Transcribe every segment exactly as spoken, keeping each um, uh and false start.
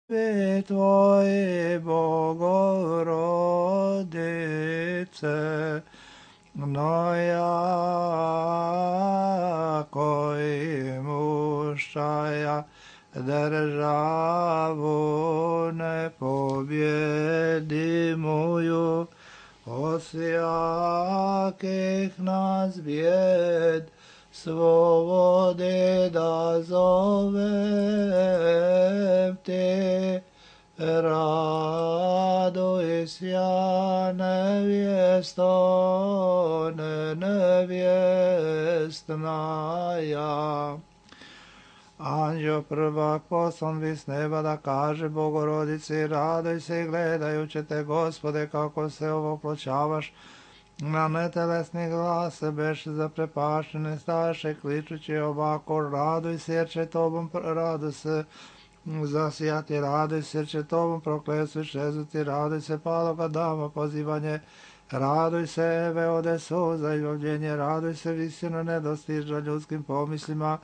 Tvoje Bogorodice, no jako imušaja državu nepobjedimuju, osjakih nas bijed svobode da zovem te. Raduj sja nevjesto, ne nevjestnaja. Anđeo prvak poslan vi s neba da kaže Bogorodici, raduj se i gledajući te, Gospode, kako se ovoploćavaš. Na netelesni glas se beše zaprepaštene staše, kličući ovako, raduj se jer će tobom radu se zasijati, raduj se jer će tobom prokletstvo iščeznuti, raduj se paloga dama pozivanje, raduj se Eve ode suza i lovljenje, raduj se visino nedostižna ljudskim pomislima,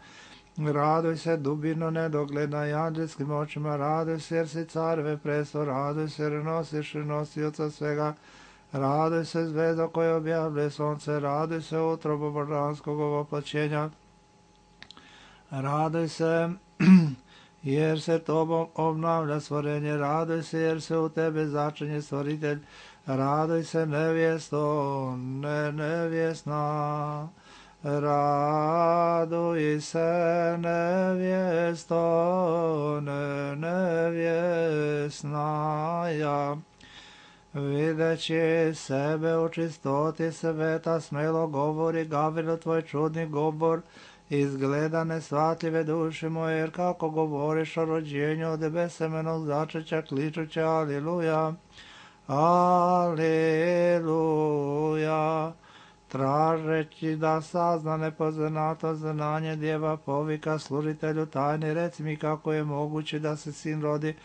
raduj se dubino nedogledna i anđelskim očima, raduj se jer si careve presto, raduj se jer nosiš i nosioca svega, raduj se zvezdo koje objavljuje sunce, raduj se utrobo božanskog ovoploćenja, raduj se jer se tobom obnavlja stvorenje, raduj se jer se u tebe začinje stvoritelj, raduj se nevjesto, ne nevjesna, raduj se nevjesto, ne nevjesnaja. Videći sebe u čistoti sveta, smelo govori Gavrilo tvoj čudni govor, izgleda nesvatljive duše moje, jer kako govoriš o rođenju od besemenog začeća, kličuće aliluja, aliluja. Tražeći da sazna nepoznato znanje djeva povika služitelju tajni, reci mi kako je moguće da se sin rodi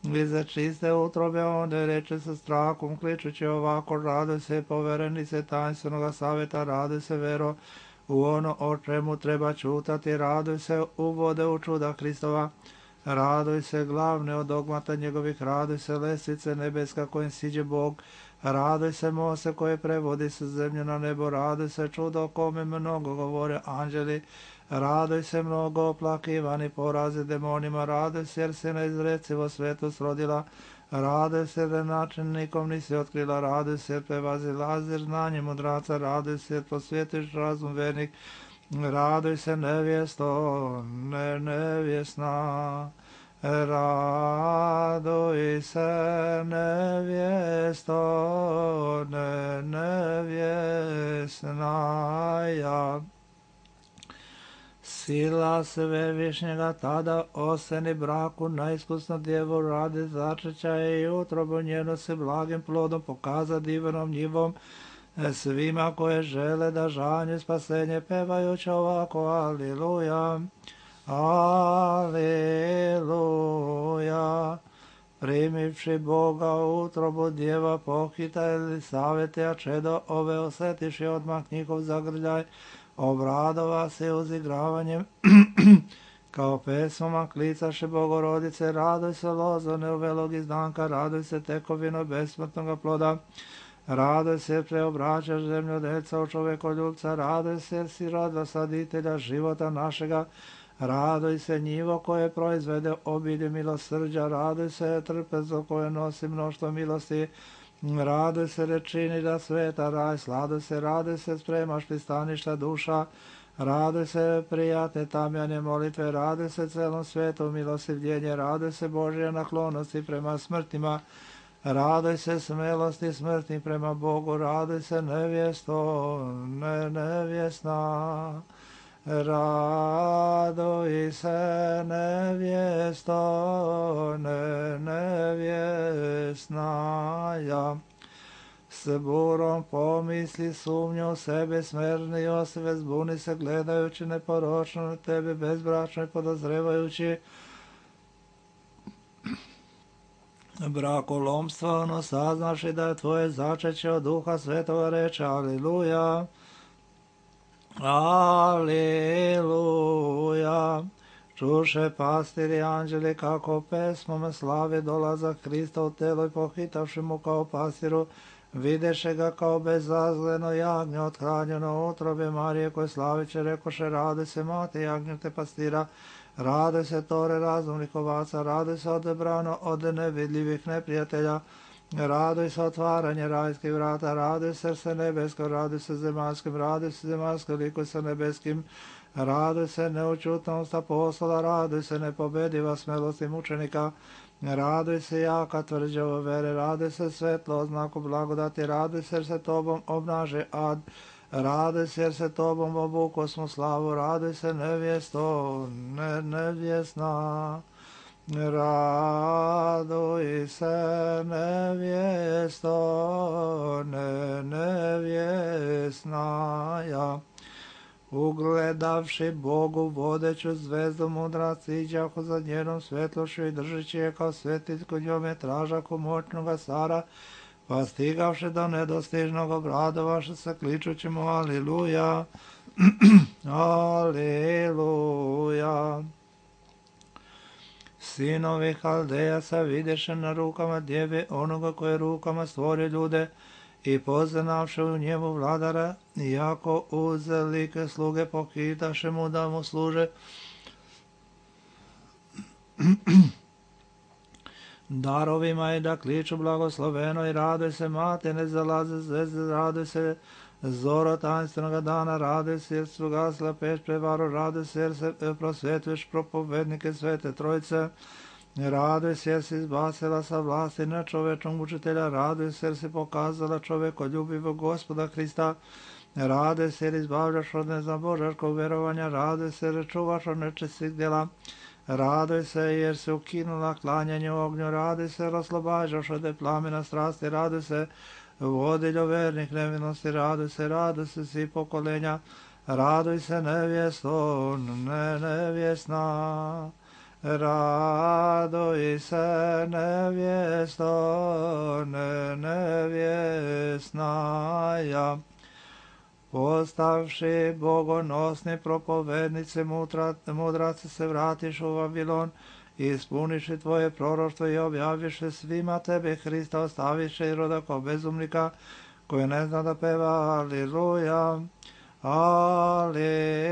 iza čiste utrobe, onda reče sa strahom, kličući ovako, raduj se poverenice tajnstvenog savjeta, raduj se vero u ono o čemu treba čutati, raduj se uvode u čuda Hristova, raduj se glavne od dogmata njegovih, raduj se lestvice nebeska kojim siđe Bog, raduj se mose koje prevodi se zemlju na nebo, raduj se čudo o kome mnogo govore anđeli, raduj se mnogo oplakivani porazi demonima, raduj se jer se neizrecivo svetost rodila, raduj se da način nikom nisi otkrila, raduj se jer prevazilaziš znanje mudraca, raduj se jer posvjetiš razum vernik, raduj se nevjesto, ne nevjesna, raduj se nevjesto, ne nevjesnaja. Sila svevišnjega tada oseni braku najiskusno djevu radi začeća i utrobu njenu se blagim plodom pokaza divnom njivom svima koje žele da žanje spasenje, pevajući ovako aliluja, aliluja. Primivši Boga u utrobu djeva pohita ili savjeti, a čedo ove osjetiši odmah njihov zagrljaj, obradova se uzigravanjem kao pesmama klicaše Bogorodice, raduj se lozo neuvelog izdanka, raduj se tekovino besmrtnog ploda, raduj se jer preobraćaš zemlju deca u čovekoljubca, raduj se jer si rodila saditelja života našega, raduj se njivo koje proizvede obilje milosrđa, raduj se trpezo koje nosi mnoštvo milosti, raduj se rečini da sveta raj, sladuj se, raduj se spremaš pristaništa duša, raduj se prijatne tamjane molitve, raduj se celom svijetu milostivljenje, raduj se Božje naklonosti prema smrtima, raduj se smelosti smrtnih prema Bogu, raduj se nevjesto, ne nevjesna, raduj se nevjesto, ne nevjesnaja. S burom pomisli sumnju u sebe smerni osve, zbuni se gledajući neporočno na tebe, bezbračno i podozrevajući brakolomstvo, ono saznaš i da je tvoje začeće od Duha Svetoga, reče aliluja, aliluja. Čuše pastiri anđeli kako pesmom slave dolazak Hrista u telo i pohitavši mu kao pastiru, videše ga kao bezazleno jagnje othranjeno utrobe Marije koje slaviće rekoše rade se mate jagnjete pastira, rade se tore razumnih ovaca, rade se odebrano od nevidljivih neprijatelja, raduj se otvaranje rajskih vrata, raduj srce nebesko, raduj se zemaljskim, raduj se zemaljsko liku sa nebeskim, raduj se neučutnost apostola, raduj se nepobediva smelosti mučenika, raduj se jaka tvrđava vere, raduj se svetlo oznaku blagodati, raduj se jer se tobom obnaže ad, raduj se jer se tobom obuko smo slavu, raduj se nevjesto, ne, nevjesna. Raduj se nevjesto, ne nevjesnaja. Ugledavši Bogu vodeću zvezdu mudrac iđahu za njenom svetlošću i držeći je kao svetiljku njome tražaku moćnoga cara, pa stigavši do nedostižnog obradovaše se kličući mu Aliluja, Aliluja. Sinovi Haldejaca videše na rukama djeve onoga koje rukama stvori ljude i poznavše u njemu vladara, iako uzelike sluge pohitaše mu da mu služe. Darovima i da kliču blagosloveno i raduj se mate, ne zalaze zvezde, raduj se zoro tanstvenoga dana, raduj se jer su gasla peć prevaru, raduj se jer se prosvetuješ propovednike svete trojice, raduj se jer si izbacila sa vlasti nečovečnog učitelja, raduj se jer si pokazala čovekoljubivog Gospoda Hrista, raduj se jer izbavljaš od nezabožarskog verovanja, raduj se jer čuvaš od nečistih djela, raduj se jer si ukinula klanjanje u ognju, raduj se jer oslobađaš od plamena strasti, raduj se vodiljo vernih nevinosti, raduj se, raduj se svi pokolenja, raduj se nevjesto, ne nevjesna, raduj se nevjesto, ne nevjesnaja. Postavši bogonosni propovednici mudraci se vratiš u Vavilon, i ispuniši tvoje proroštvo i objaviše svima tebe Hrista, ostaviše i roda kao bezumnika koji ne zna da peva Aliluja, Aliluja.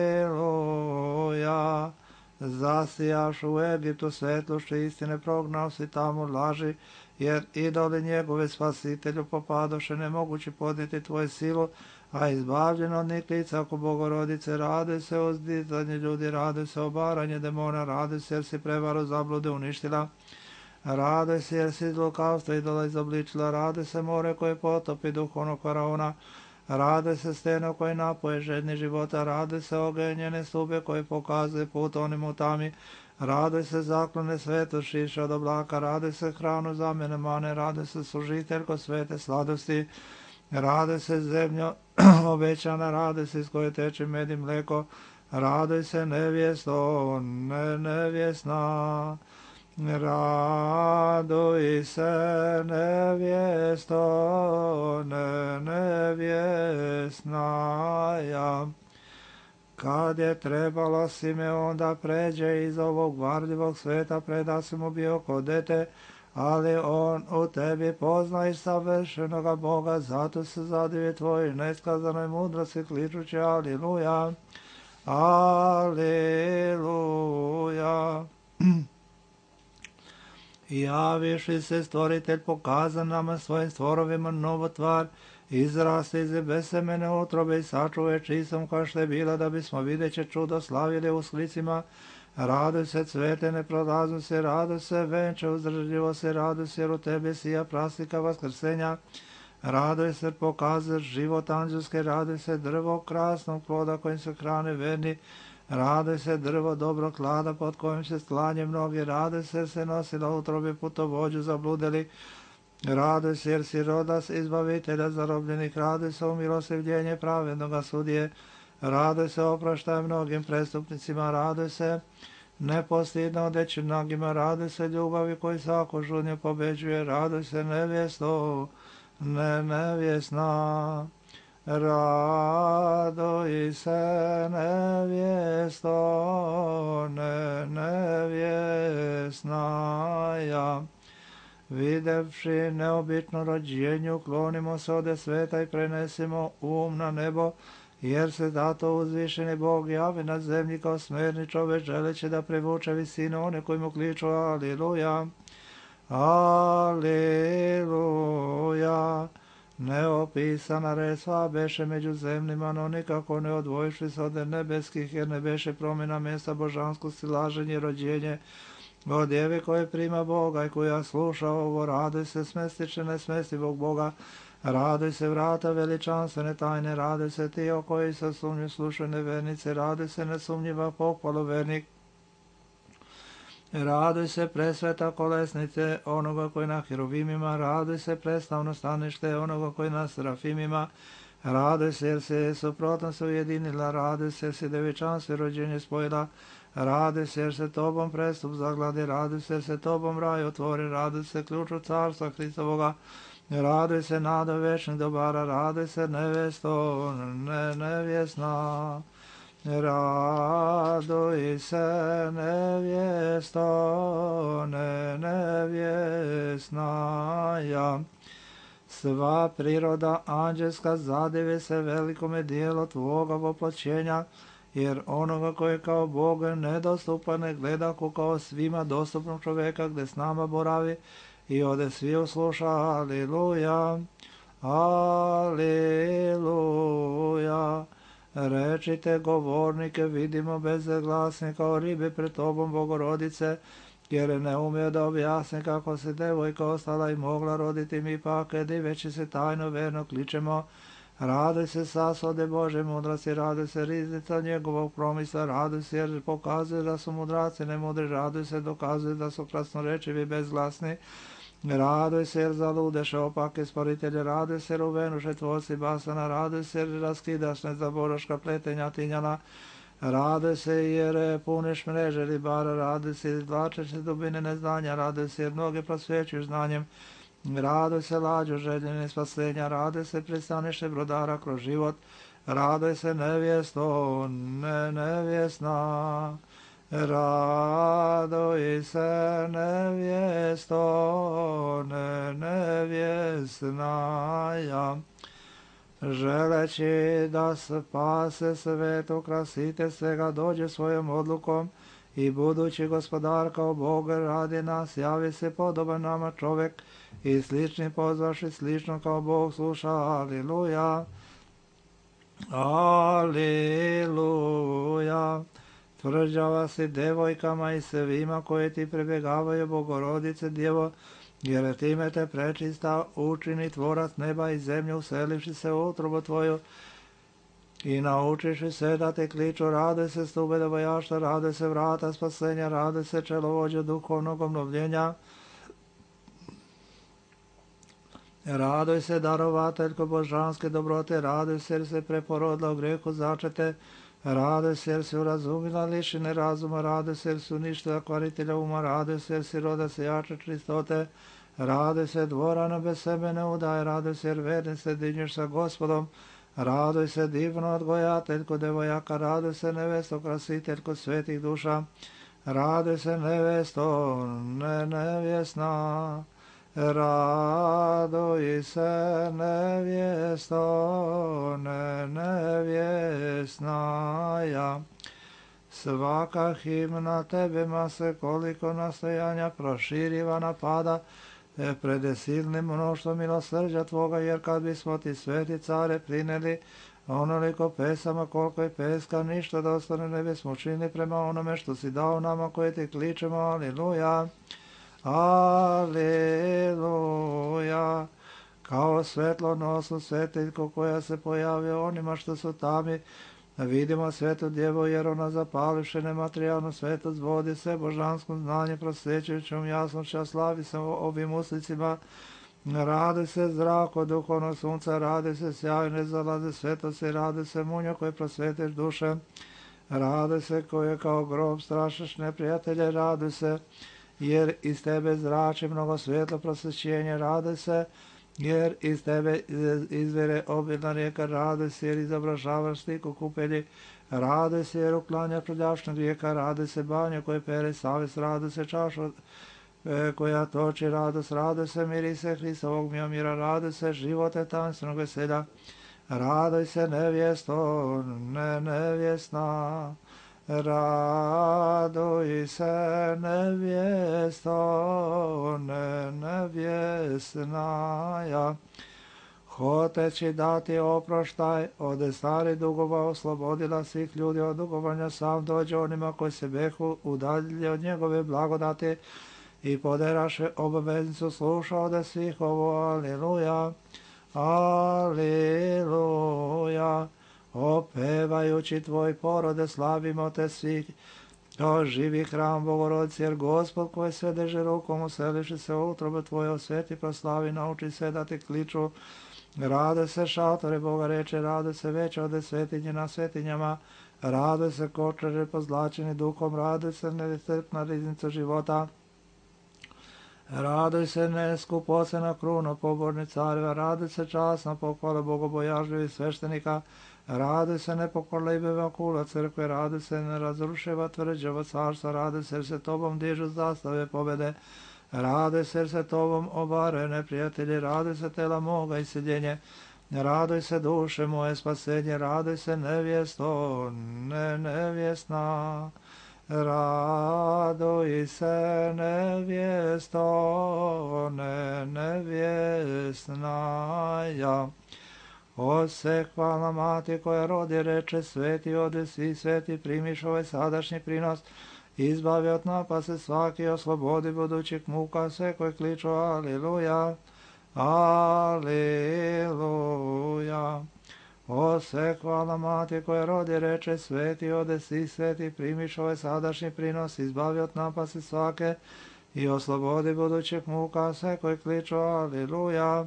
Zasijaš u Egiptu svetlošću istine, prognao si tamo laži, jer idoli njegove spasitelju popadoše, nemogući podnijeti tvoju silu, a izbavljeno od njih lica oko Bogorodice, raduj se o zdizanje ljudi, raduj se obaranje demona, raduj se jer si prevaru zablude uništila, raduj se jer si iz lukavstva idola izobličila, raduj se more koje potopi duhovnog faraona, raduj se steno koje napoje žedni života, raduj se ogenjene stube koje pokazuje put onim u tami, raduj se zaklone sveto šiša od oblaka, raduj se hranu zamjene mane, raduj se služiteljko svete sladosti, raduj se zemljo obećana, raduj se iz koje teče med i mleko, raduj se nevjesto, ne nevjesna, raduj se nevjesto, ne nevjesnaja. Kad je trebalo Simeon da pređe iz ovog varljivog sveta, preda si mu bio kod dete, ali on u tebi poznaje savršenoga Boga, zato se zadivi tvoj neskazanoj mudrosti kličući Aliluja, Aliluja. Javiši se stvoritelj, pokazan nama svojim stvorovima novu tvar, izrasti iz besemene utrobe i sačuve čisom kao što je bila, da bismo videće čudo slavili u sklicima. Raduj se cvete, ne prolaznu se, raduj se venče, uzdržljivo se, raduj se jer u tebi sija prastika vaskrsenja. Raduj se, pokazaš život anđelske, raduj se drvo krasnog ploda kojim se hrane verni, raduj se drvo dobrog klada pod kojim se stlanje mnogi, raduj se jer se nosila utrobi putovođu zabludeli, raduj se jer si rodas izbavitelja zarobljenih, raduj se u milosrdljenje pravednoga sudije, raduj se opraštaj mnogim prestupnicima, raduj se nepostidno odeći nogima, raduj se ljubavi koji svako žudnje pobeđuje, raduj se nevjesto, ne nevjesna, Raduj se nevjesto, ne nevjesnaja. Videvši neobično rođenje, uklonimo se ode sveta i prenesimo um na nebo, jer se zato uzvišeni Bog javi na zemlji kao smerni čovek, želeći da privuče visinu one koji mu kliču Aliluja. Aliluja. Neopisana resva beše među zemljima, no nikako ne odvojišli se od nebeskih, jer ne beše promjena mjesta božanskosti, laženje, rođenje od djeve koje prima Boga i koja sluša ovo. Raduj se smestiče nesmestivog Boga, raduj se vrata veličanstvene tajne, raduj se ti o koji se sumnju slušaju nevernice, raduj se nesumnjiva pohvalu vernik. Raduj se presveta kolesnice onoga koji na hiruvimima, raduj se preslavno stanište onoga koji na serafimima, raduj se jer se suprotno se ujedinila, raduj se jer se devičanstvo rođenje spojila, raduj se jer se tobom prestup zagladi, raduj se jer se tobom raj otvori, raduj se ključu carstva Hristovoga, raduj se nado večnih dobara, raduj se nevesto, ne nevjesna. Raduj se nevjesto, ne nevjesnaja. Sva priroda anđelska zadivi se velikome dijelu tvoga voploćenja, jer onoga koji kao Bog nedostupan ne gleda ko kao svima dostupnog čoveka gde s nama boravi i ode svi usluša. Aliluja, aliluja. Rečite govornike, vidimo bezglasni kao ribe pred tobom, Bogorodice, jer ne umije da objasni kako se devojka ostala i mogla roditi, mi pak diveći se tajno verno kličemo. Raduj se sasode Bože mudrasti, raduj se riznica njegovog promisla, raduj se jer pokazuje da su mudraci nemudri, raduj se dokazuje da su krasnorečivi bezglasni. Raduj se jer zaludeše opake sporitelje, raduj se jer uvenuše tvorci basana, raduj se jer raskidaš nezaboroška pletenja tinjana, raduj se jer puniš mreže ribara, raduj se jer izvlačeš dubine neznanja, raduj se jer mnoge prosvećuješ znanjem, raduj se lađu željene spasenja, raduj se pristaniše brodara kroz život, raduj se nevjesto, ne nevjesna. Raduj se nevjesto, ne nevjesnaja. Želeći da spase svet, ukrasite svega, dođe svojom odlukom i budući gospodar kao Bog radi nas, javi se podoban nama čovek i slični pozvaši slično kao Bog sluša. Aliluja, aliluja. Tvrđava si devojkama i svima koje ti prebjegavaju, Bogorodice Djevo, jer time te prečista učini tvorac neba i zemlje, uselivši se u utrobu tvoju i naučiši se da te kliču. Raduj se stube devojaštva, raduj se vrata spasenja, raduj se čelovođa duhovnog obnovljenja, raduj se darovateljko božanske dobrote, raduj se jer se preporodila u grehu začete, raduj se jer si urazumila lišine razuma, raduj se jer si uništila kvaritelja uma, raduj se jer si roda se jače čistote, raduj se dvorana bez sebe ne udaje, raduj se jer verni se dinješ sa Gospodom, raduj se divno odgojateljko devojaka, raduj se nevesto krasiteljko svetih duša, raduj se nevesto, ne nevjesna. Raduj se nevjesto, ne nevjesnaja. Svaka himna tebima se koliko nastojanja proširiva napada pred silnim mnoštvom milosrđa tvoga, jer kad bismo ti sveti care prineli onoliko pesama koliko je peska, ništa da ostane ne bismo činili prema onome što si dao nama koje ti kličemo. Aliluja, aliluja. Kao svetlo nosu svetiljko koja se pojavio onima što su tami, vidimo svetu djevu, jer ona zapalivše nematerijalnu svetost vodi se božanskom znanje prosvećujućom jasnošća, slavi se ovim uslicima. Radi se zrako duhovnog sunca, radi se sjajne zalaze svetosti, radi se munjo koje prosvetiš duše, radi se koje kao grob strašiš neprijatelje, radi se jer iz tebe zrači mnogo svjetlo prosvećenje, radi se jer iz tebe izvire obilna rijeka, raduj se jer izobražavaš sliku kupelji, raduj se jer uklanja prljašnjeg rijeka, raduj se banja koje pere savest, raduj se čaša koja toči radost, raduj se mirise Hristovog mira, raduj se živote tanstvenog veselja, raduj se nevjesto, ne nevjesna, raduj se nevjesto, ne nevjesnaja, hoteći dati oproštaj od starih dugova, oslobodila svih ljudi od dugovanja, sam dođe onima koji se behu udaljili od njegove blagodati i poderaše obaveznicu, sluša od svih ovo, aleluja, aleluja, opevajući tvoj porode, slavimo te svih, to živi hram Bogorodice, jer Gospod koji sve drži rukom, useliši se u utrobu tvoje, osveti, proslavi, nauči sve da ti kliču, rade se šatore Boga reče, rade se veće od svetinje na svetinjama, rade se kočare pozlačeni duhom, rade se nestrpna riznica života, raduj se neskupocena kruna poborni careva, raduj se časna pohvala bogobojažljivih sveštenika, raduj se nepokorljiva kula crkve, raduj se nerazrušiva tvrđava carstva, raduj se jer se tobom dižu zastave pobede, raduj se jer se tobom obaraju neprijatelji, raduj se tela moga iseljenje, raduj se duše moje spasenje, raduj se nevjesto, ne nevjesna, raduj se nevjesto, ne nevjesnaja. O se hvala mati koja rodi reče, sveti ode svi sveti, primiš ovaj sadašnji prinos, izbavi od napase svaki, oslobodi budućih muka sve koji kliču aleluja, aleluja. O se hvala mati koja rodi reče, sveti ode svi sveti, primiš ovaj sadašnji prinos, izbavi od napase svake i oslobodi budućih muka sve koji kliču aleluja,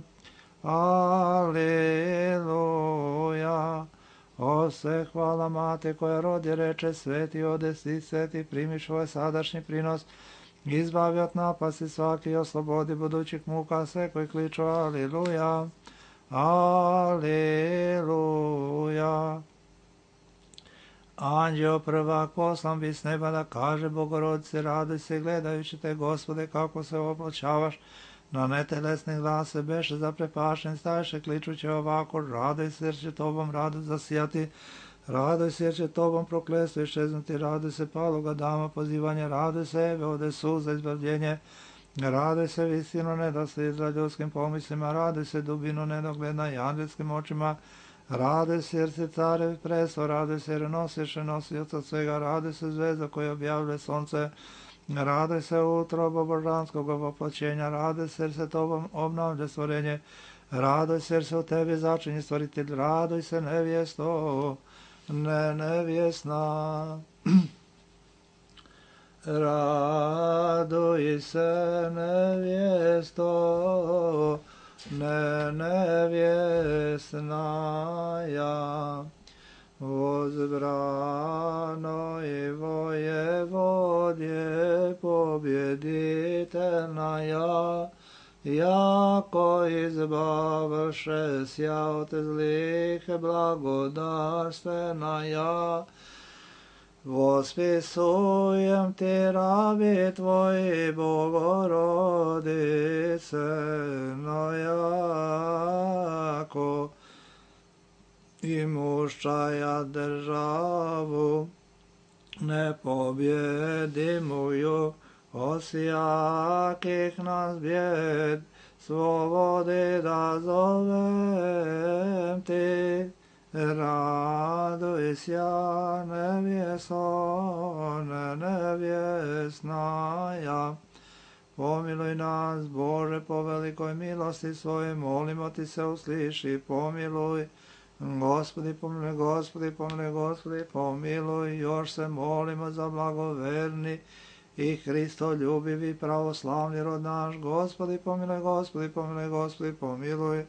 aleluja. O se hvala mati koja rodi reče, sveti ode svi sveti, primiš ovaj sadašnji prinos, izbavi od napasti svaki i oslobodi budućih muka sve koji kliču aleluja, aleluja. Anđeo prvak poslan bi s neba da kaže Bogorodice, raduj se gledajući te Gospode kako se oploćavaš, na netelesnih glase beše zaprepašen, staviše kličuće ovako, raduj se jer će tobom radost zasijati, raduj se jer će tobom prokletstvo iščeznuti, raduj se paloga dama pozivanje, raduj se eve ode suza izbavljenje, raduj se visino nedosljedna ljudskim pomislima, raduj se dubinu nedogleda i angelskim očima, raduj se jer si carev presto, raduj se jer nosiš nosioca svega, raduj se zvezda koja objavljuje sonce, raduj se utrobo božanskog voplaćenja, raduj se jer se tobom obnavlja stvorenje, raduj se jer se u tebi začinje stvoritelj, raduj se nevjesto, ne nevjesna, raduj se nevjesto, ne nevjesnaja. Возбрано и воеводje победительная, яко избавше ся от злих благодарственная, восписуем ти раби твои, Богородице, но яко имущая державу непобедимую, осяких нас бед, свободы да зовем ти, радуйся, невесо, невесная. Помилуй нас, Боже, по великой милости Своей, молимо Ти се, услыши, помилуй. Господи, помилуj, Господи, pomilуj, Господи, pomilуj, još se molimo za blagoverni i Hristoljubivi pravoslavni rod naš. Gospodi, pomilуj, Gospodi, pomilуj, Gospodi, pomilуj,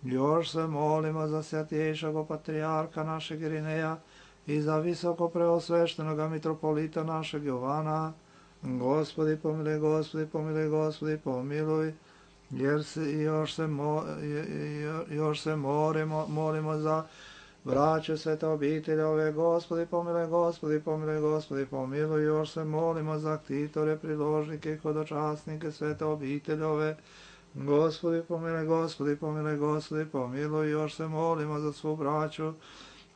još se molimo za svятейшего patrijarha našeg Irineja i za visoko preosveštenoga mitropolita našeg Jovana. Gospodi, pomilуj, Gospodi, pomilуj, Gospodi, pomilуj, jer se još se, mo, još se molimo, molimo za braću svete obiteljove, Gospodi pomiluj, Gospodi pomiluj, Gospodi pomiluj, još se molimo za ktitore, priložnike i hodočasnike svete obiteljove, Gospodi pomiluj, Gospodi pomiluj, Gospodi pomiluj, još se molimo za svu braću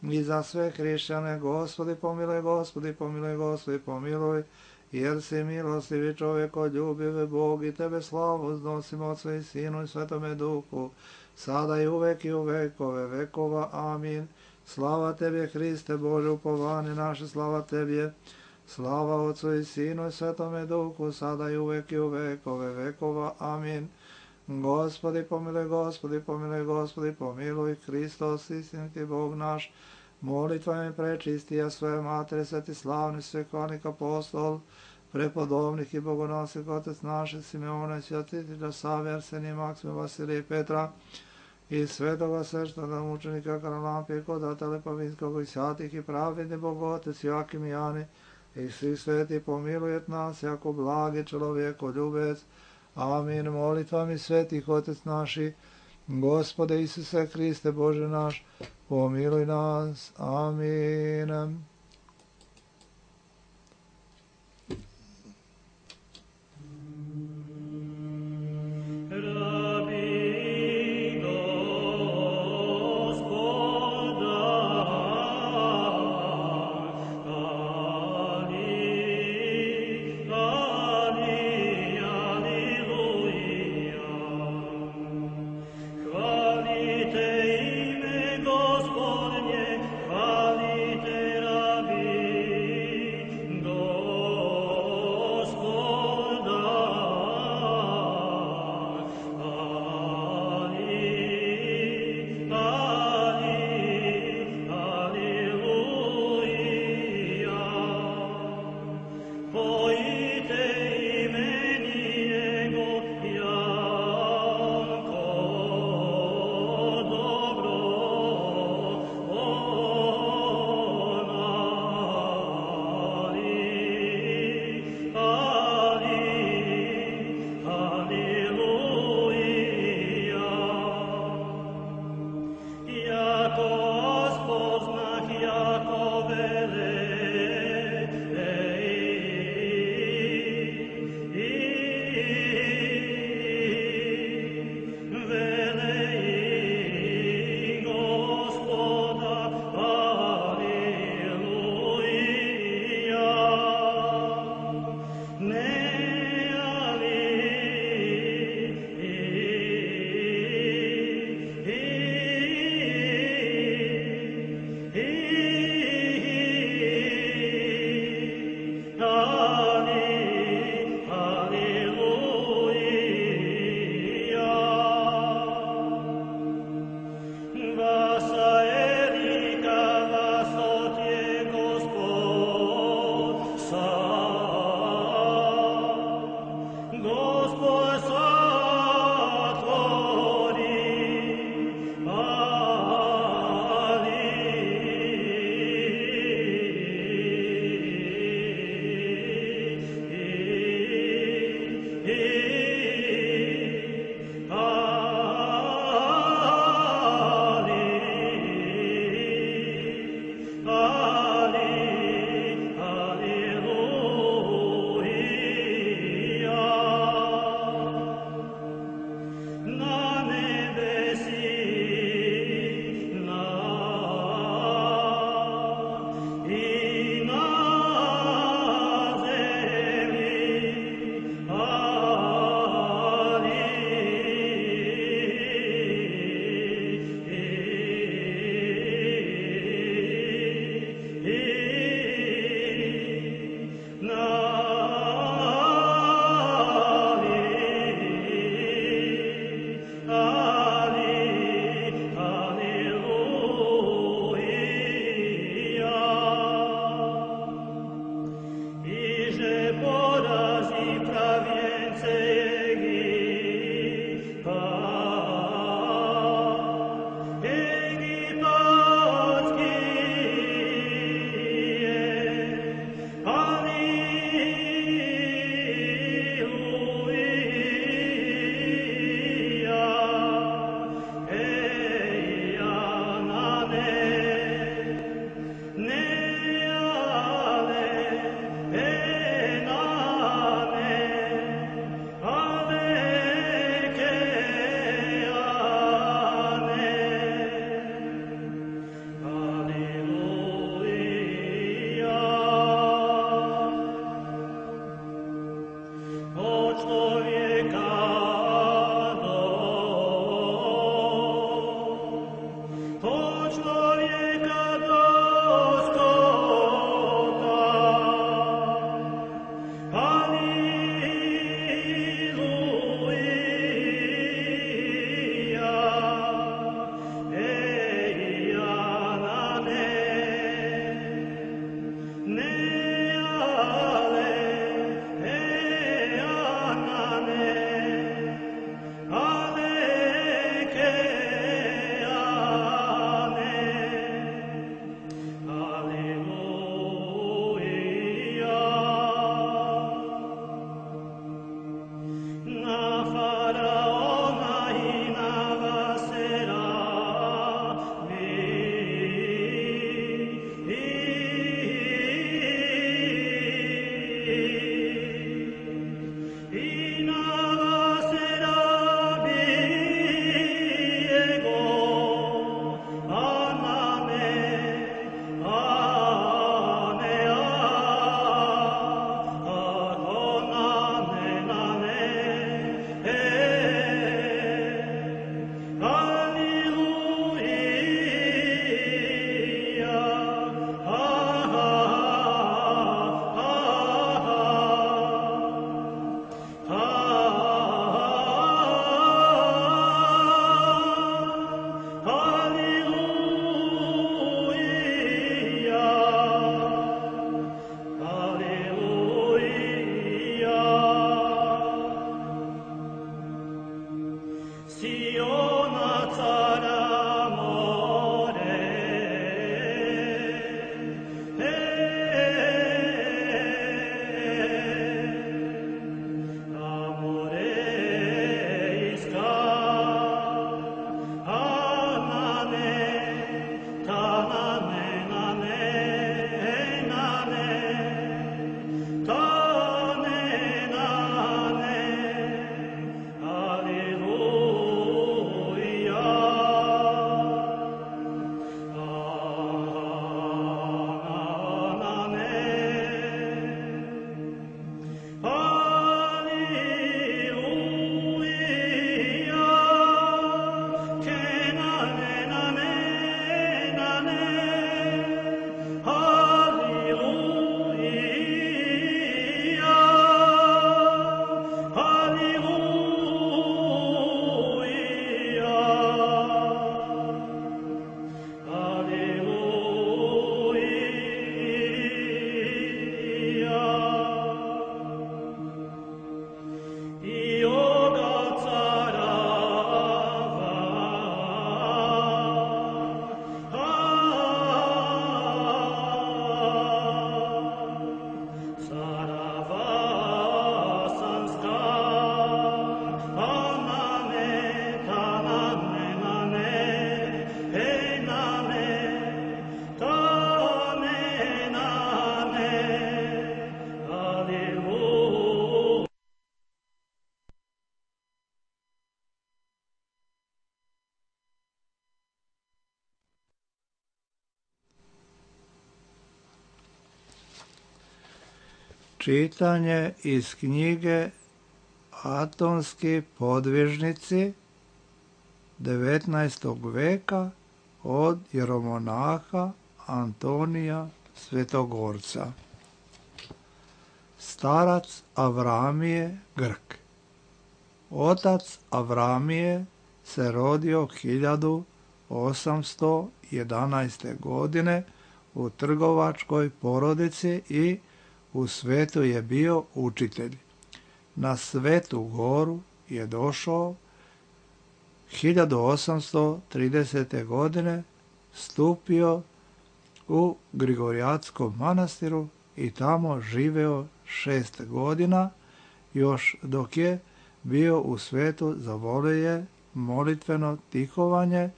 i za sve hrišćane, Gospodi pomiluj, Gospodi pomiluj, Gospodi pomiluj, jer si milostivi čovjeko, ljubive Bog i tebe slavu uznosimo Otcu i Sinu i Svetome Duhu, sada i uvek i u vekove vekova. Amin. Slava Tebi, Hriste Bože, upovanje naše, slava Tebi, slava Otcu i Sinu i Svetome Duhu, sada i uvek i u vekove vekova. Amin. Gospodi pomiluj, Gospodi pomiluj, Gospodi pomiluj, Hristos, istinski Bog naš, molitvami prečistija svoje Matere, sveti slavni svekonik apostol, prepodobnih i bogonosnih Otec naše, Simeona i Svjatitelja Save, Arsenija, Maksima, Vasilija i Petra, i svetoga sveštenoga mučenika Karalampije, Kodata Pavinskog i svatih i pravedni Bog Otec Joakim i Jani, i svi sveti pomilujet nas, jako blagi čovjeko ljubec. Amin. Molitvami svetih Otec naši, Gospode Isuse Hriste Bože naš, pomiluj nas. Amin. Hvalite ime Gospodnje, hvalite Čitanje iz knjige Atonski podvižnici devetnaestog veka od jeromonaha Antonija Svetogorca. Starac Avramije Grk. Otac Avramije se rodio hiljadu osamsto jedanaeste. godine u trgovačkoj porodici i u svetu je bio učitelj. Na Svetu goru je došao hiljadu osamsto tridesete. godine, stupio u Grigorijatskom manastiru i tamo živeo šest godina, još dok je bio u svetu zavolio je molitveno tihovanje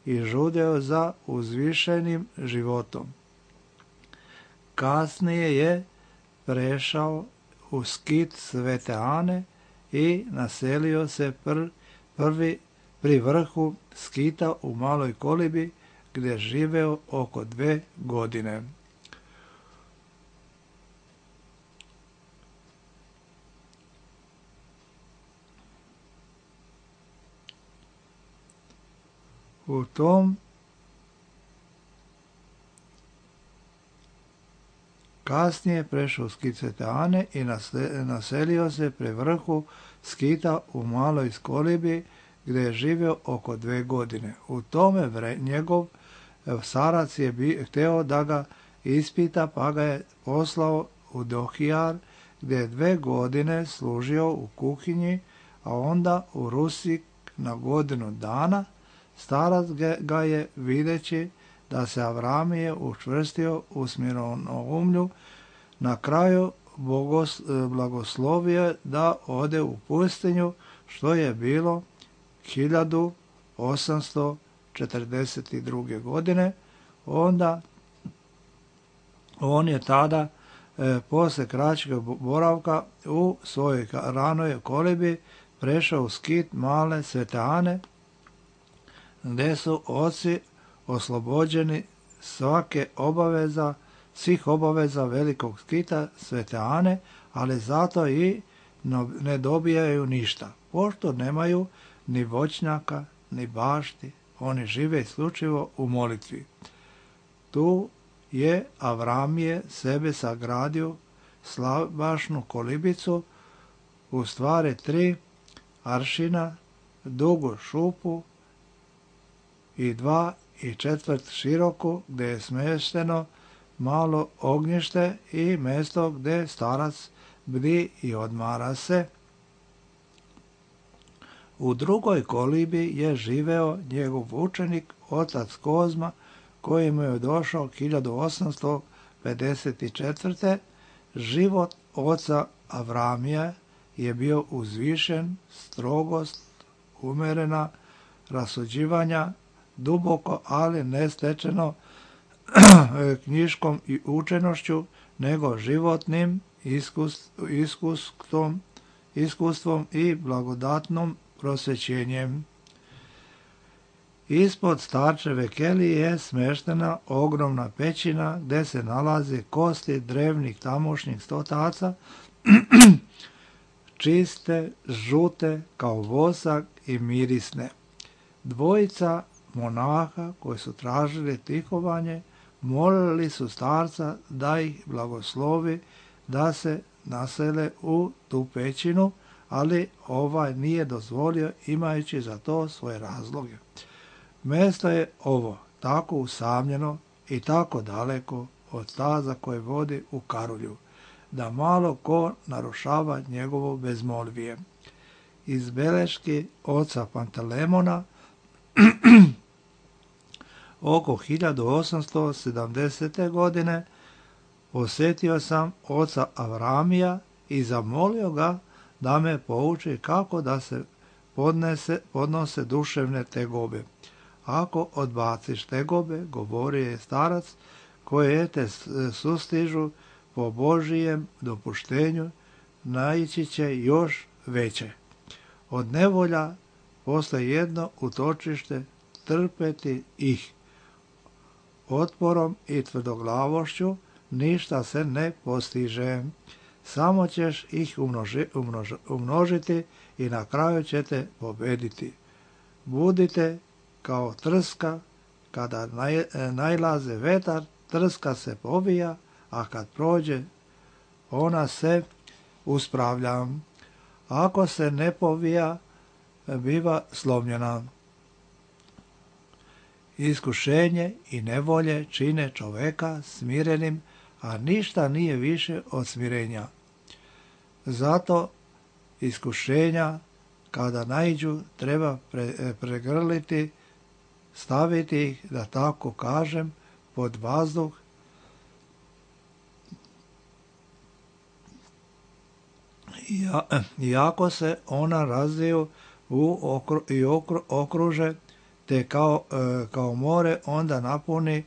i žudeo za uzvišenim životom. Kasnije je prešao u skit Svete Ane i naselio se pr, prvi pri vrhu skita u Maloj Kolibi, gdje živeo oko dve godine. U tom kasnije prešao u skit Svete Ane i naselio se pri vrhu skita u Maloj Kolibi, gdje je živio oko dve godine. U tome vre, njegov starac je bi, hteo da ga ispita, pa ga je poslao u Dohijar, gdje je dve godine služio u kuhinji, a onda u Rusik na godinu dana. Starac ga je, videći da se Avramije učvrstio u smironoumlju, na kraju bogos, blagoslovio da ode u pustinju, što je bilo hiljadu osamsto četrdeset druge. godine. Onda on je tada e, posle kraćeg boravka u svojoj ranoj kolibi prešao u skit Male Svete Ane, gdje su oci oslobođeni svake obaveza, svih obaveza velikog skita Svete Ane, ali zato i ne dobijaju ništa, pošto nemaju ni voćnjaka, ni bašti, oni žive isključivo u molitvi. Tu je Avramije sebe sagradio slabašnu kolibicu, u stvari tri aršina, dugu šupu i dva i četvrt široku, gdje je smješteno malo ognjište i mjesto gdje starac bdi i odmara se. U drugoj kolibi je živeo njegov učenik, otac Kozma, koji mu je došao hiljadu osamsto pedeset četvrte. Život oca Avramija je bio uzvišen, strogost, umerena, rasuđivanja, duboko, ali ne stečeno knjiškom i učenošću, nego životnim iskustvom, iskustvom i blagodatnom prosvećenjem. Ispod starčeve kelije je smeštena ogromna pećina gde se nalaze kosti drevnih tamošnjih stotaca, čiste, žute kao vosak i mirisne. Dvojica monaha koji su tražili tihovanje molili su starca da ih blagoslovi da se nasele u tu pećinu, ali ovaj nije dozvolio imajući za to svoje razloge. Mesto je ovo tako usamljeno i tako daleko od staza koje vodi u Karulju, da malo ko narušava njegovo bezmolvije. Iz beleški oca Pantelemona oko hiljadu osamsto sedamdesete. godine posjetio sam oca Avramija i zamolio ga da me pouči kako da se podnese, podnose duševne tegobe. Ako odbaciš tegobe, govorio je starac, koje te sustižu po Božijem dopuštenju, naići će još veće. Od nevolja postoji jedno utočište, trpeti ih. Otporom i tvrdoglavošću ništa se ne postiže. Samo ćeš ih umnoži, umnož, umnožiti i na kraju ćete pobediti. Budite kao trska, kada naj, najlaze vetar, trska se povija, a kad prođe, ona se uspravlja. Ako se ne povija, biva slomljena. Iskušenje i nevolje čine čoveka smirenim, a ništa nije više od smirenja. Zato iskušenja, kada naiđu, treba pre, pregrliti, staviti ih, da tako kažem, pod vazduh, iako se ona razviju u okru, i okru, okruže, te kao, e, kao more onda napuni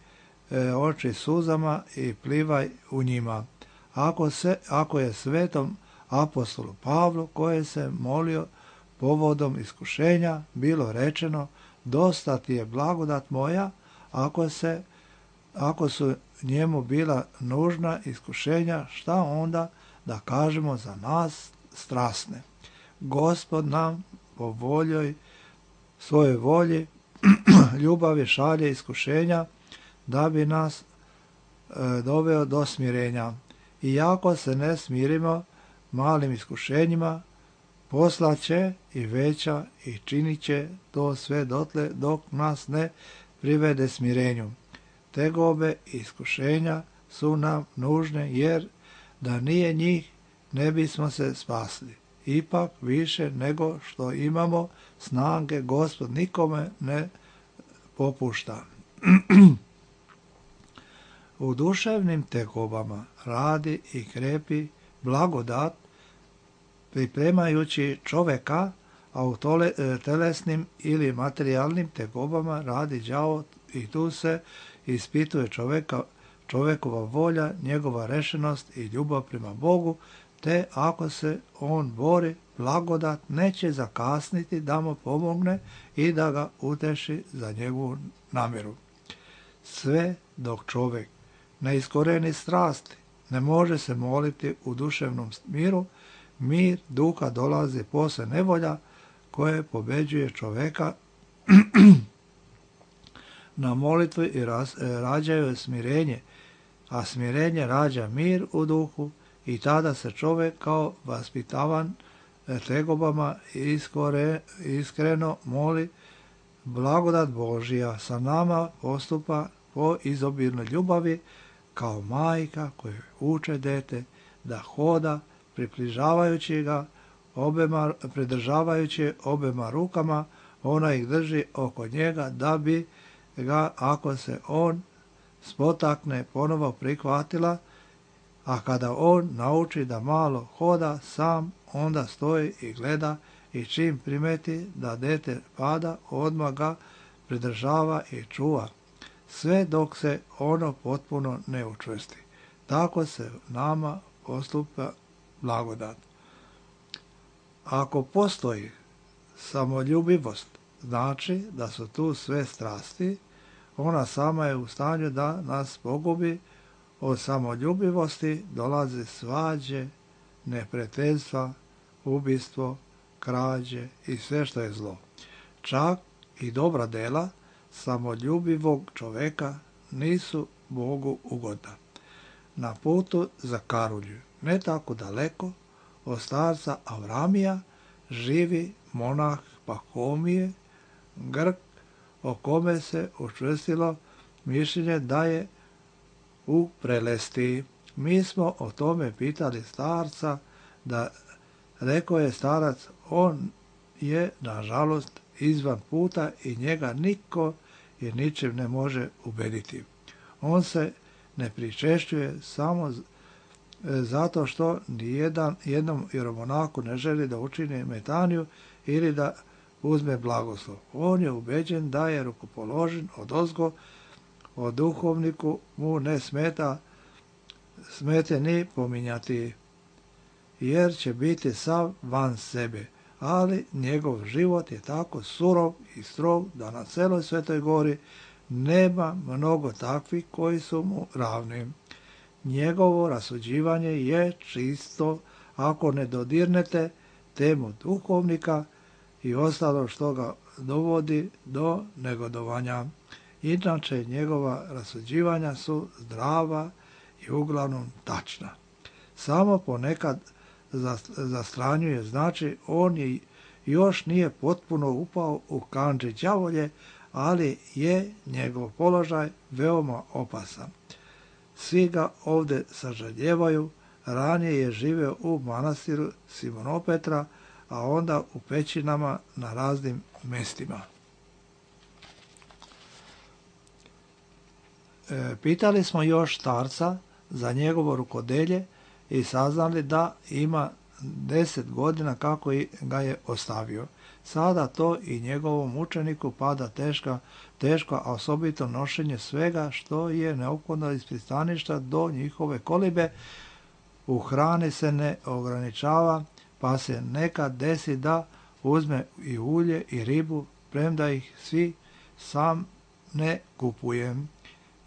e, oči suzama i plivaj u njima. Ako, se, ako je svetom apostolu Pavlu, koji se molio povodom iskušenja, bilo rečeno, dosta ti je blagodat moja, ako, se, ako su njemu bila nužna iskušenja, šta onda da kažemo za nas strasne? Gospod nam po voljoj, svojoj volji, ljubavi šalje iskušenja da bi nas e, doveo do smirenja. Iako se ne smirimo malim iskušenjima, poslaće i veća i činit će to sve dotle dok nas ne privede smirenju. Tegobe i iskušenja su nam nužne, jer da nije njih ne bismo se spasli. Ipak više nego što imamo snage, Gospod nikome ne popušta. U duševnim tegobama radi i krepi blagodat, pripremajući čoveka, a u tole, telesnim ili materijalnim tegobama radi đavo i tu se ispituje čoveka, čovekova volja, njegova rešenost i ljubav prema Bogu, te ako se on bori, blagodat neće zakasniti da mu pomogne i da ga uteši za njegovu namjeru. Sve dok čovjek ne iskoreni strasti, ne može se moliti u duševnom miru, mir duha dolazi posle nevolja koje pobeđuje čoveka na molitvi i raz, rađaju smirenje, a smirenje rađa mir u duhu i tada se čovjek kao vaspitavan tegobama iskore, iskreno moli, blagodat Božija sa nama postupa po izobilnoj ljubavi kao majka koja uče dete da hoda, približavajući ga obema, pridržavajući obema rukama, ona ih drži oko njega da bi ga, ako se on spotakne, ponovo prihvatila, a kada on nauči da malo hoda sam, onda stoji i gleda i čim primeti da dete pada, odmah ga pridržava i čuva, sve dok se ono potpuno ne učvrsti. Tako se nama postupa blagodat. Ako postoji samoljubivost, znači da su tu sve strasti, ona sama je u stanju da nas pogubi. Od samoljubivosti dolazi svađe, neprijateljstva, ubistvo, krađe i sve što je zlo. Čak i dobra dela samoljubivog čoveka nisu Bogu ugodna. Na putu za Karulju, ne tako daleko od starca Avramija, živi monah Pahomije, Grk, o kome se učvrstilo mišljenje da je u prelesti. Mi smo o tome pitali starca, da rekao je starac, on je nažalost izvan puta i njega niko i ničim ne može ubediti. On se ne pričešćuje samo zato što nijedan jednom jeromonaku ne želi da učini metaniju ili da uzme blagoslov. On je ubeđen da je rukopoložen odozgo, o duhovniku mu ne smeta smete ni pominjati, jer će biti sav van sebe, ali njegov život je tako surov i strog da na celoj Svetoj Gori nema mnogo takvih koji su mu ravni. Njegovo rasuđivanje je čisto ako ne dodirnete temu duhovnika i ostalo što ga dovodi do negodovanja. Inače, njegova rasuđivanja su zdrava i uglavnom tačna. Samo ponekad zastranjuje, znači on je još nije potpuno upao u kandži đavolje, ali je njegov položaj veoma opasan. Svi ga ovdje sažaljevaju, ranije je živeo u manastiru Simonopetra, a onda u pećinama na raznim mestima. E, pitali smo još starca za njegovo rukodelje i saznali da ima deset godina kako ga je ostavio. Sada to i njegovom učeniku pada teška, teško, a osobito nošenje svega što je neophodno iz pristaništa do njihove kolibe. U hrani se ne ograničava, pa se nekad desi da uzme i ulje i ribu, premda ih svi sam ne kupujem.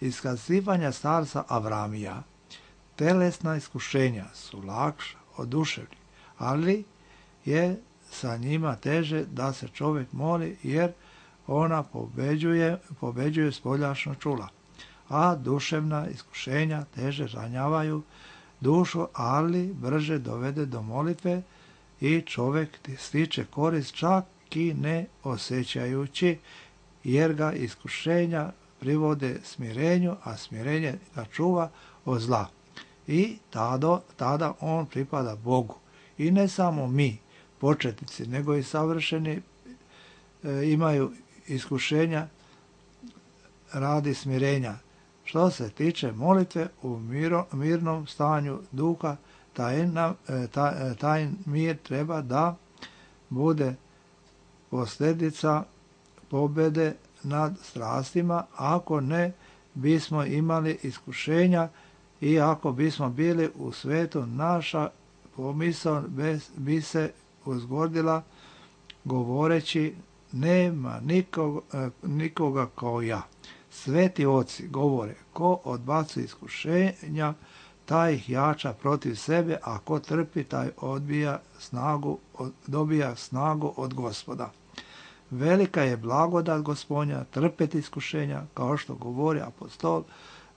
Iskazivanja starca Avramija. Telesna iskušenja su lakša od duševnih, ali je sa njima teže da se čovjek moli, jer ona pobeđuje, pobeđuje spoljašno čula, a duševna iskušenja teže ranjavaju dušu, ali brže dovede do molitve i čovjek stiče korist čak i ne osjećajući, jer ga iskušenja privode smirenju, a smirenje ga čuva od zla. I tada, tada on pripada Bogu. I ne samo mi, početnici, nego i savršeni e, imaju iskušenja radi smirenja. Što se tiče molitve, u miro, mirnom stanju duha, taj, taj, taj mir treba da bude posljedica pobjede nad strastima. Ako ne bismo imali iskušenja i ako bismo bili u svetu, naša pomisao bi se uzgordila govoreći, nema nikoga, nikoga kao ja. Sveti oci govore, ko odbacuje iskušenja, taj ih jača protiv sebe, a ko trpi, taj odbija snagu, dobija snagu od Gospoda. Velika je blagodat Gospodnja trpeti iskušenja, kao što govori apostol,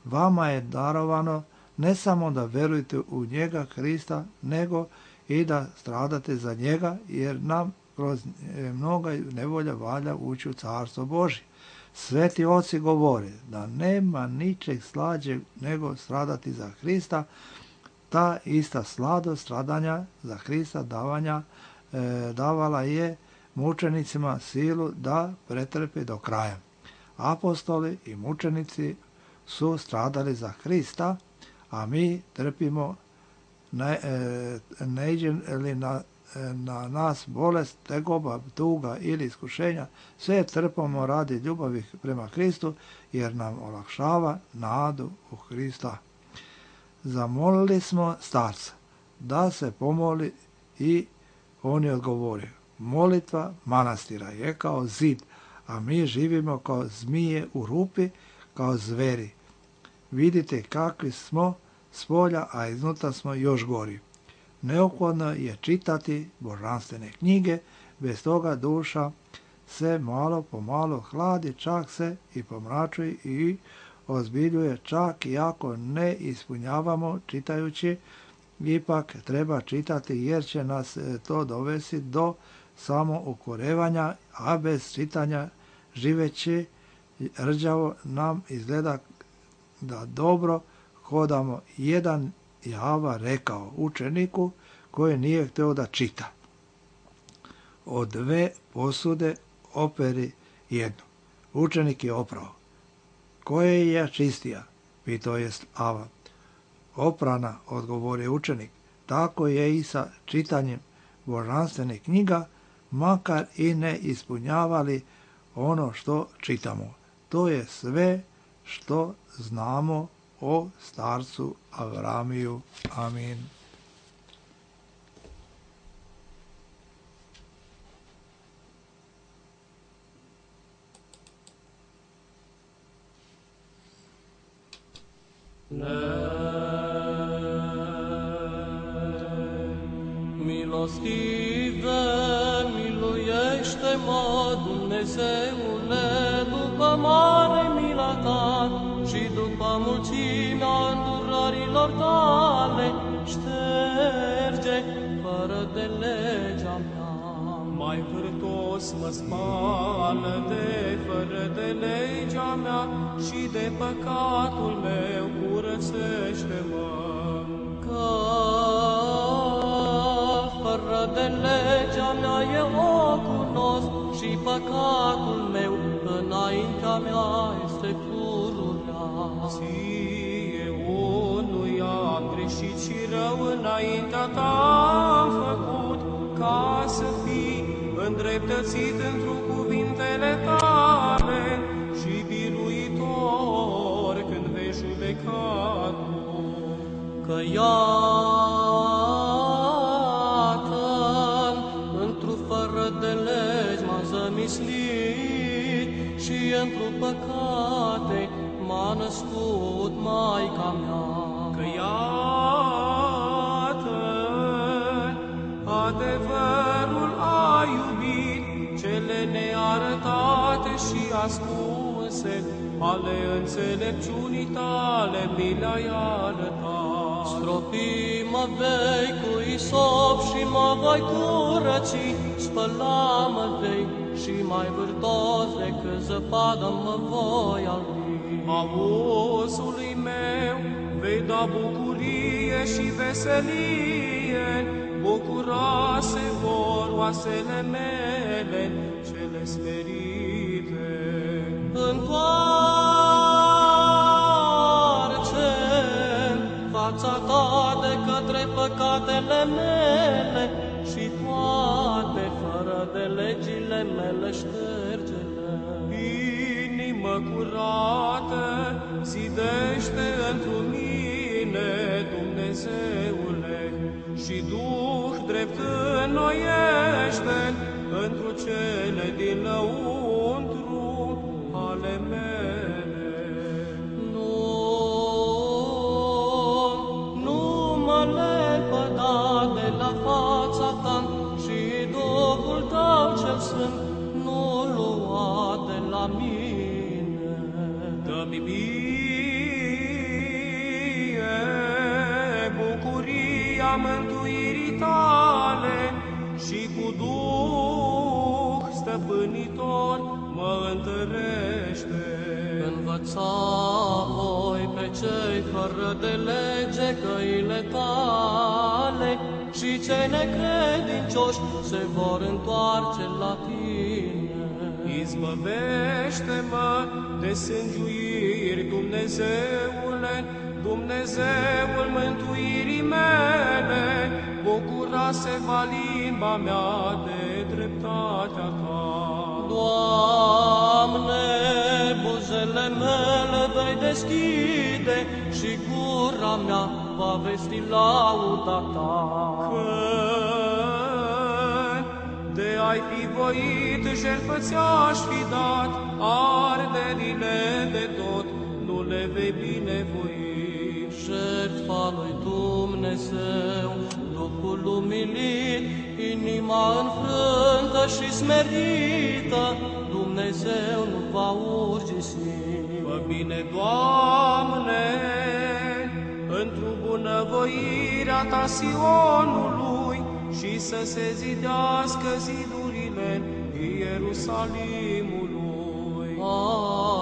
vama je darovano ne samo da verujete u njega, Krista, nego i da stradate za njega, jer nam kroz mnoga nevolja valja ući u carstvo Božje. Sveti oci govore da nema ničeg slađeg nego stradati za Krista, ta ista sladost stradanja za Krista, davanja davala je mučenicima silu da pretrpe do kraja. Apostoli i mučenici su stradali za Hrista, a mi trpimo, ne, ne iđe li na, na nas bolest, tegoba, tuga ili iskušenja, sve trpimo radi ljubavi prema Hristu, jer nam olakšava nadu u Hrista. Zamolili smo starca da se pomoli i on je odgovorio: molitva manastira je kao zid, a mi živimo kao zmije u rupi, kao zveri. Vidite kakvi smo s polja, a iznutra smo još gori. Neophodno je čitati božanstvene knjige, bez toga duša se malo po malo hladi, čak se i pomračuje i ozbiljuje, čak i ako ne ispunjavamo čitajući, ipak treba čitati jer će nas to dovesti do samoukorevanja, a bez čitanja živeći rđavo nam izgleda da dobro hodamo. Jedan Java rekao učeniku koji nije htio da čita: od dve posude operi jednu. Učenik je oprao. Koje je čistija? Pitao je Ava. Oprana, odgovorio učenik. Tako je i sa čitanjem božanstvenih knjiga, makar i ne ispunjavali ono što čitamo. To je sve što znamo o starcu Avramiju. Amin. Milostive, miluiește-mă, Dumnezeule, după mare mila ta și după mulțimea îndurărilor tale, șterge fără de legea mea. Mai vârtos mă spală de fără de legea mea și de păcatul meu curățește-mă. Că fără de legea mea eu o cunosc și păcatul meu înaintea mea este pururea. Ție unui am greșit și rău înaintea ta am făcut, ca să fii îndreptățit într-o cuvintele tale și biruitor când vei judeca tu. Că iată, într-o fără de legi m-a zămislit și într-o păcate m-a născut Maica mea. Că iată, adevărul a iubit cele nearătate și ascunse, ale înțelepciunii tale mi le-ai arătat. Stropi mă vei cu isop și mă voi curăți, spăla-mă vei și mai vârtos decât zăpadă mă voi albi. Auzului meu vei da bucurie și veselie, bucura se vor oasele mele cele smerite. Întoarce fața ta de către păcatele mele și toate fără de legile mele șterge-le. Inimă curată zidește într-un mine, Dumnezeule, și Duh drept înnoiește întru cele din lăuntru ale mele. Nu, nu mă lepăda de la fața ta și Duhul tău cel sfânt nu lua de la mine. Dă-mi mie bucuria mântuirii tale și cu Duh stăpânitor, mă întărește. Învăța voi pe cei fără de lege căile tale și cei necredincioși se vor întoarce la tine. Izbăvește-mă de sângiuiri, Dumnezeule, Dumnezeul mântuirii mele, bucura-se-va limba mea de dreptatea ta. Doamne, buzele mele vei deschide și gura mea va vesti lauda ta. Că de ai fi voit, jertfă ți-aș fi dat, arderile de tot nu le vei binevoi. Jertfa lui Dumnezeu, Duhul umilit, inima înfrântă și smerită, Dumnezeu nu va urgisi. Fă bine, Doamne, într-o bunăvoirea ta Sionului și să se zidească zidurile Ierusalimului.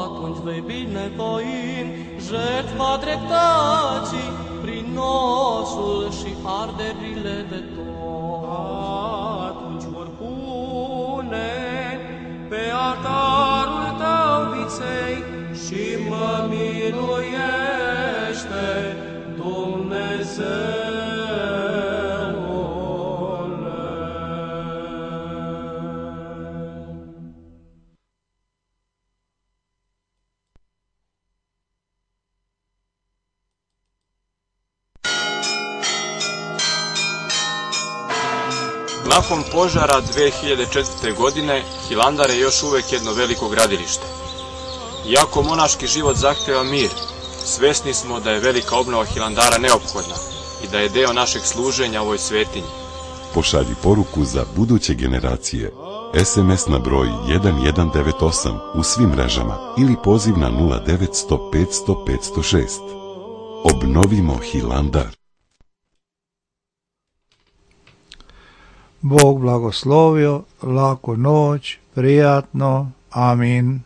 Atunci vei binevoi jertfa dreptății prin nosul și arderile de tot. Atunci vor pune pe altarul tău viței și mă miluiește, Dumnezeu. Nakon požara dve hiljade četvrte. godine, Hilandar je još uvek jedno veliko gradilište. Iako monaški život zahteva mir, svesni smo da je velika obnova Hilandara neophodna i da je deo našeg služenja ovoj svetinji. Pošalji poruku za buduće generacije. es em es na broj jedan jedan devet osam u svim mrežama ili poziv na nula devet sto petsto petsto šest. Obnovimo Hilandar. Bog blagoslovio, laku noć, prijatno, amin.